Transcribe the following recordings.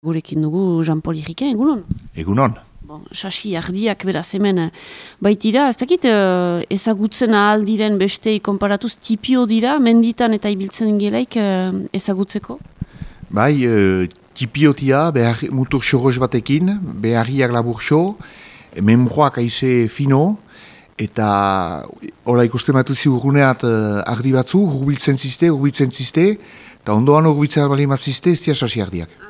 Gurekin dugu Jean-Paul Iriken, egunon? Egunon. Bon, sasi ardiak beraz hemen baitira, ez dakit ezagutzen ahal diren bestei konparatuz tipio dira, menditan eta ibiltzen gelaik ezagutzeko? Bai, tipiotia, mutur xorroz batekin, beharriak laburxo, memroak aize fino, eta hola ikusten batu ziurguneat ardi batzu, hurbiltzen ziste, eta ondoan hurbiltzen bali mazizte, ez dira sasi ardiak.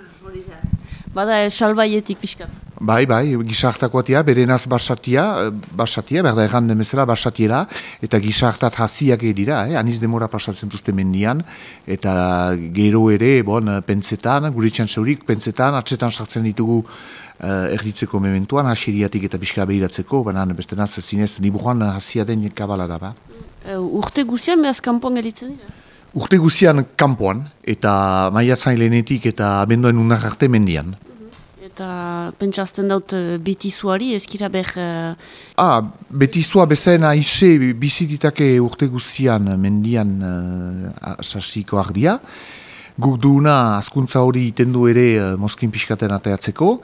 Bada salbaietik pixka. Bai, gizartakoatia, berenaz barsatia, berda erran demezela barsatiela, eta gizartat hasiak dira, aniz demora pasatzen duzte mendian, eta gero ere, pentsetan, gure txantxaurik, pentsetan, atsetan sartzen ditugu erditzeko mementuan, hasiriatik eta pixka behiratzeko, banan bestenaz zinez, niburuan hasia den kabala da, ba. Urte guzian behaz kanpoan gelitzen dira? Urte guzian kanpoan, eta maiatzain lehenetik eta abenduan unar arte mendian. Eta pentsazten daut betizuari, ezkira behar... Betizua bezain aixe bizititake urte guzian mendian sasiko ardia. Guk duuna askuntza hori itendu ere mozkin pixkaten ateatzeko,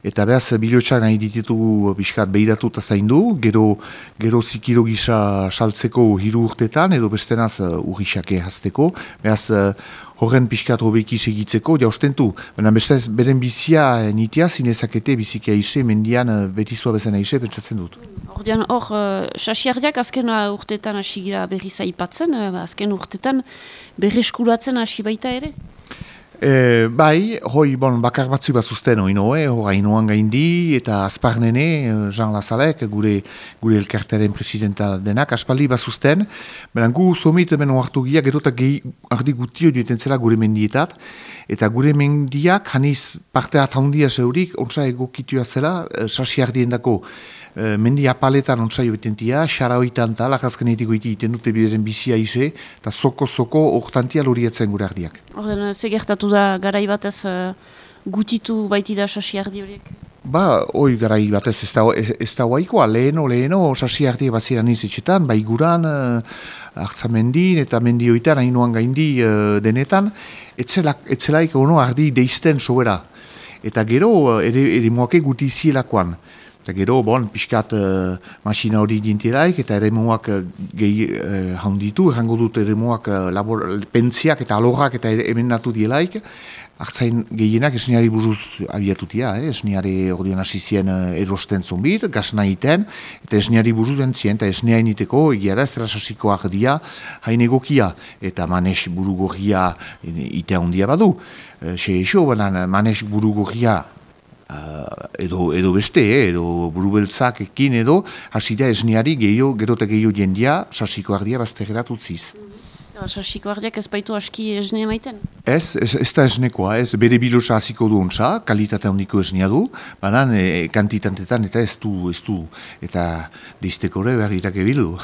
eta behaz bilotxak nahi ditugu pixkat behiratu eta zaindu, gero zikiro gisa saltzeko hiru urtetan, edo bestenaz urrisake hazteko, behaz horren pixkat hobeki segitzeko, ostentu, baina bestez beren bizia nitia zinezakete bizikia ise, mendian betizua bezan ise, pentsatzen dut. Hor, sasiardiak azken urtetan hasi gira berri zaipatzen, azken urtetan berreskuratzen hasi baita ere? Bai, bakar batzu bat zuzten hainoan gaindi, eta azparnene, Jean Lazalek, gure elkartearen presidenta denak, aspaldi bat zuzten, baina gu somit hemen oartu gira, gero eta ardi gutio duetan zela gure mendietat, eta gure mendiak, haniz parte ataundia zeurik, ontsa egokitua zela, sasiardien dako, mendi apaletan ontsa joetentia, xaraoitan tal, akazkenetiko iten dute bideren bizia ise, eta soko hortantia loriatzen gure ardiak. Orden, ze gertatu da garai batez gutitu baitida sasi ardi horiek? Garai batez ez da guaikoa, leheno sasi ardiak baziran izetxetan, bai guran, hartzamendin eta mendioitan, hainoan gaindi denetan, etzelaik ardi deizten sobera. Eta gero, ere moake guti zielakoan. Eta gero, pixkat masina hori dintielaik, eta ere moak gehi handitu, errango dut ere moak pentziak eta alorrak eta emendatu dielaik, hartzain gehienak esniari buruz abiatutia, esniari ordean hasizien erosten zonbit, gazna iten, eta esniari buruz entzien, eta esnia initeko, egiara ez dara sasiko ardia, hain egokia, eta manes burugorria itea handia badu. Manes burugorria edo beste, edo burubeltzak ekin edo, hasida esniari gero eta gehiago jendia sasiko ardia baztegerat utziz. Sasiko ardiak ez baitu aski esnea maiten? Ez da esnekoa, bere bilotsa hasiko du ontsa, kalitate handiko esnea du, banan kantitantetan eta ez du, eta deizteko ere behar irake bildu.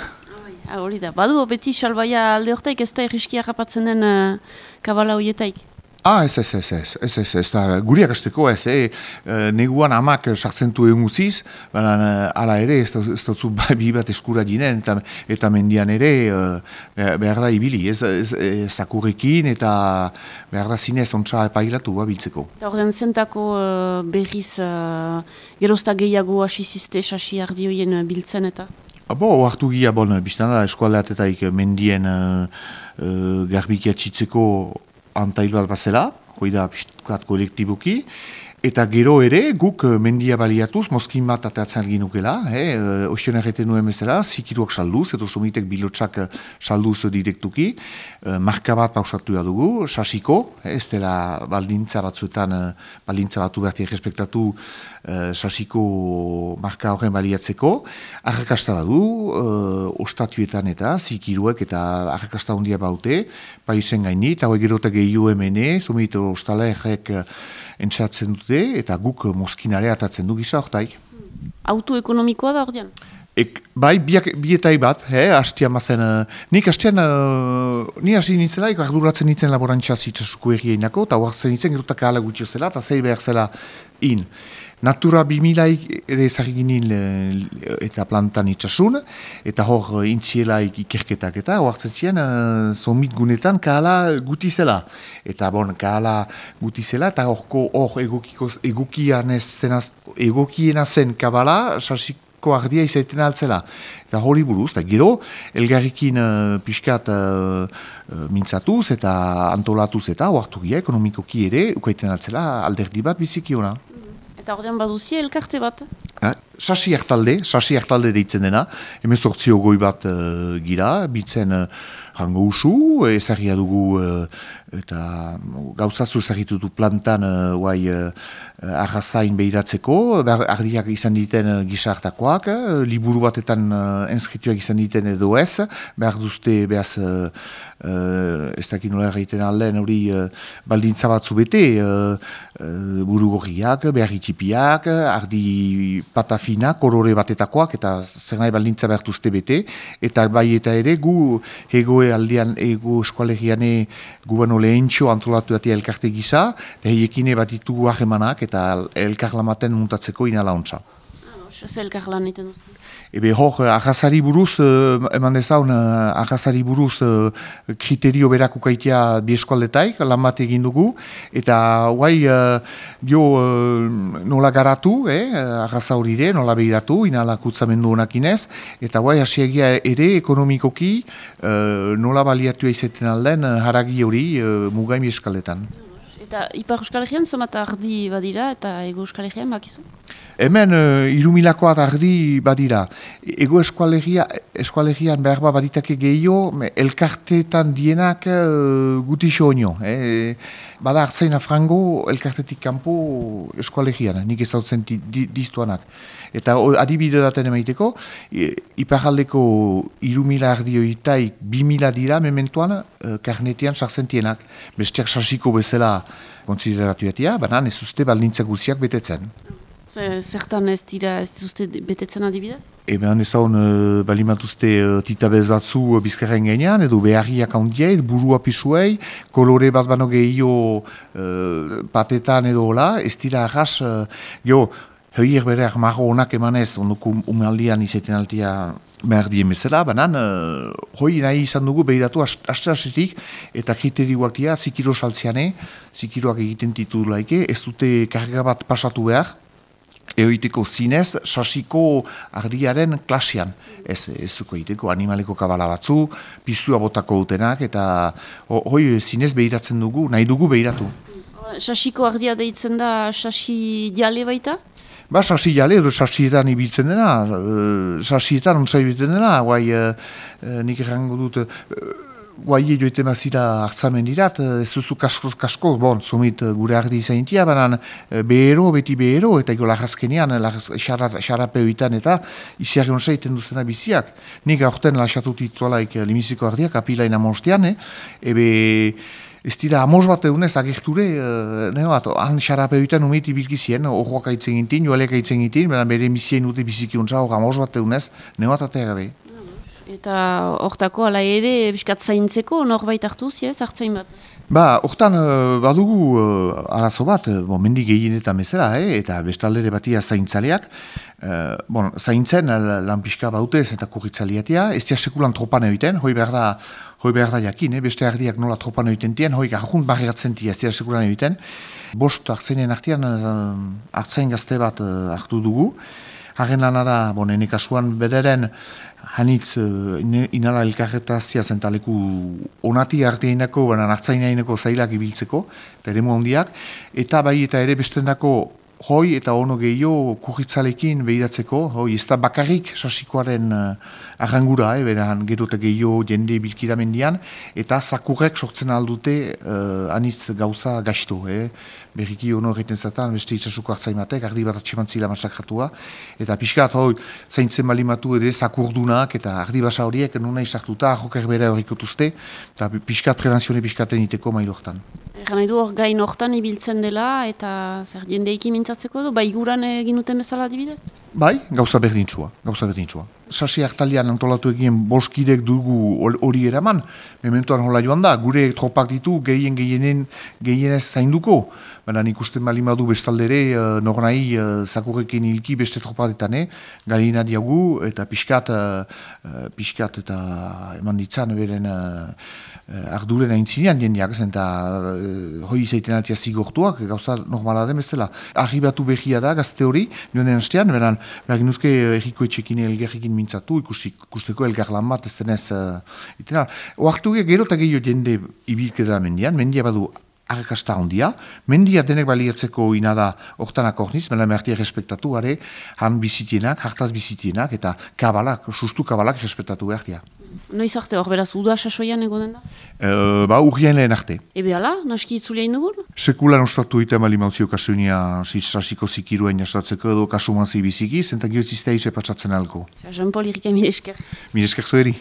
Hori da, badu beti salbaia alde hortaik ez da erriskia rapatzen den kabala horietaik? Ez da, guriak azteko neguan amak sartzen du egun guziz, baina ala ere ez dutzu bi bat eskura dinen, eta mendian ere behar da ibili, zakurrekin eta behar da zinez ontsa epailatu biltzeko. Eta horren zentako berriz gerozta gehiago asiziste sasi ardi horien biltzen eta? Oartu gira, biztan da, eskualdeatetaik mendien garbikia txitzeko antail bat bazela, hoi da pixkat kolektiboki, eta gero ere guk mendia baliatuz, mozkin bat ateatzen ginukela, ostion erreten nuen bezala, zikiruak salduz, edo somitek bilotxak salduz direktuki, marka bat pausatu dugu, sasiko, ez dela baldintza batzuetan, baldintza batu berti errespektatu sasiko marka horren baliatzeko, arrakasta badu, ostatuetan eta zikiruek eta arrakasta handia baute, paisen gaini, eta hoi gero eta gehiu hemene, somit ostala errek entzatzen dute, eta guk mozkinare atatzen du gisa hortaik. Autoekonomikoa da ordean? Bai, bietai bat, hastian bazen, nik hastian, ni hasi nintzelaik, arduratzen nintzen laborantza zitzasuko errieinako, eta huartzen nintzen, gerotak ahala gutio zela, eta zei behar zela in. Natura 2000 ere ezagik ginen eta plantan itxasun, eta hor intzielaik ikerketak eta hoartzen ziren zomit gunetan kahala guti zela. Eta kahala guti zela, eta hor egokiena zen kabala, sasiko ardia izaiten altzela. Eta hori buruz, eta gero, elgarrikin pixkat mintzatuz eta antolatuz eta hoartugia ekonomikoki ere, ukaiten altzela alderdi bat bizikiona. Eta ordean baduzia elkarte bat? Sasi hartalde deitzen dena, 18 goi bat gira, bitzen jango usu, ezagia dugu eta gauzazu ezagitutu plantan arrazain behiratzeko, ardiak izan diten gizartakoak, liburu batetan enskrituak izan diten edo ez, behar duzte behaz ez dakit nola egiten aldean hori baldintza batzu bete, buru gorriak, behar itxipiak, ardi patafina, kolore batetakoak, eta zer nahi baldintza behar duzte bete, eta bai eta ere gu egoe aldean, ego eskualegiane gu bano lehentxo antolatu datea elkarte gisa, heikine bat ditugu ahemanak eta elkarlamaten muntatzeko inalauntza. Zer elkarlan egiten duzu? Ebe hor, arrazari buruz, eman dezaun, arrazari buruz kriterio berak ukaitea bi eskualdetaik, lan bat egin dugu, eta guai nola garatu, arraza horire, nola behiratu, inala kutzamendu honak inez, eta guai hasiegia ere ekonomikoki nola baliatu izaten alden haragi hori mugain bi eskaldetan. Eta Ipar Euskal Herrian zomat ardi badira eta Ego Euskal Herrian bakizu? Hemen 3.000 ardi badira. Ego eskualegian behar baditake gehiago, elkarteetan dienak gutixo onio. Bada hartzaina frango elkartetik kanpo eskualegian, nik ezautzen diztuanak. Eta adibide daten emaiteko, iparaldeko 3.000 ardioitaik 2.000 dira mementuan karnetean sartzentienak. Besteak sasiko bezala konsideratuetia, baina ez uste baldintza guziak betetzen. Zertan ez dira ez duzte betetzen adibidez? Ebean ezaun balimatuzte titabez batzu bizkarren gainean, edo beharriak handiai, burua pisuei, kolore bat bano gehiago patetan edo hola, ez dira arras, heuier bereak marro honak emanez, ondoko umaldian izaiten altia behar dien bezala, banan, hoi nahi izan dugu behiratu aste-astetik, eta kriterioak dira, zikiro saltzeane, zikiroak egiten titulaike, ez dute karga bat pasatu behar, eoiteko zinez, sasiko ardiaren klasean. Ez zuko egiteko animaleko kabala batzu, pisua botako dutenak, eta hoi zinez behiratzen dugu, nahi dugu behiratu. Sasiko ardia deitzen da sasi jale baita? Ba, sasi jale, edo sasietan ibiltzen dena, sasietan ontsai ibiltzen dena, guai, nik errango dut, guai joite mazira hartzamen dirat, ez duzu kasko, zumit gure ardi izaintia, banan beti behero, eta ego lagazkenean, xarapeoitan eta iziarri onsa iten duzena biziak. Nik aurten lasatu titualaik limiziko ardiak, apilain amostean, ebe ez dira amos bat egunez agerture, han xarapeoitan umeit ibilkizien, horroak aitzen gintin, joaleak aitzen gintin, bere bizien dute biziki ontsa, hor amos bat egunez, neoat atea gabe. Eta hortako ala ere, biskat zaintzeko, norbait hartu ziez, hartzain bat? Ba, hortan badugu arazo bat, mendi gehienetan bezala, eta bestaldere batia zaintzaleak. Zaintzen lan pixka bautez eta kurritzaliatia, ez dira sekulan tropan egiten, hoi behar da jakin, beste ardiak nola tropan egiten tien, hoi garjunt barriatzen tia, ez dira sekulan egiten. Bost hartzainen artean, hartzain gazte bat hartu dugu. Haren lana da, nene kasuan bederen, hanitz inala elkarretazia zentaleku onati arteinako, baina hartzainaineko zailak ibiltzeko, eta ere handiak, eta bai eta ere bestendako hoi eta ono gehiago kurritzalekin behiratzeko, hoi ez da bakarrik sasikoaren arrangura, beran gerote gehiago jende bilkidamendian, eta zakurrek sortzen aldute anitz gauza gaizto, berriki ono egiten zatan, beste itxasuko hartzaimatek, ardi bat atximantzila masakratua, eta pixkat hoi zaintzen balimatu edo zakurdunak, eta ardi basa horiek nuna izartuta, joker bere horikotuzte, eta pixkat prebenzione pixkaten iteko mailortan. Egan nahi du hor gain hortan ibiltzen dela, eta zer jendeiki mintzatzeko du, bai guran egin duten bezala adibidez? Bai, gauza berdintsua. Sasi hartalian antolatu egin boskidek dugu hori eraman, mementoan hola joan da, gure tropak ditu gehienez zainduko, baina ikusten bali madu bestaldere, nornai zakurrekin hilki beste tropadetan, galina diagu, eta pixkat eta eman ditzan beren arduren aintzinean jendeak, eta hoi izaiten altia zigortuak, gauza normala den bezala. Arribatu behia da, gazte hori, nioen hastean, behar ginuzke erriko etxekin elgerrekin mintzatu, ikusteko elgar lan bat, ez denez, oartu gero eta gehiago jende ibilkedera mendia badu arrakasta handia, mendia denek baliatzeko inada hortanak orniz, mela mertia respektatu gare, han bizitienak, hartaz bizitienak, eta sustu kabalak respektatu behartia. Noiz arte hor, beraz, uda sasoian egonen Ba, da? urrien lehen arte. Ebe ala, naski itzulea indugun? Sekulan ostatu iten bali mauzio kasunia sasiko zikiruen jastatzeko edo kasumanzi biziki, zenta gehiotiztea ise patsatzen alko. Jean-Paul Irika, mil esker. Mil esker zueri.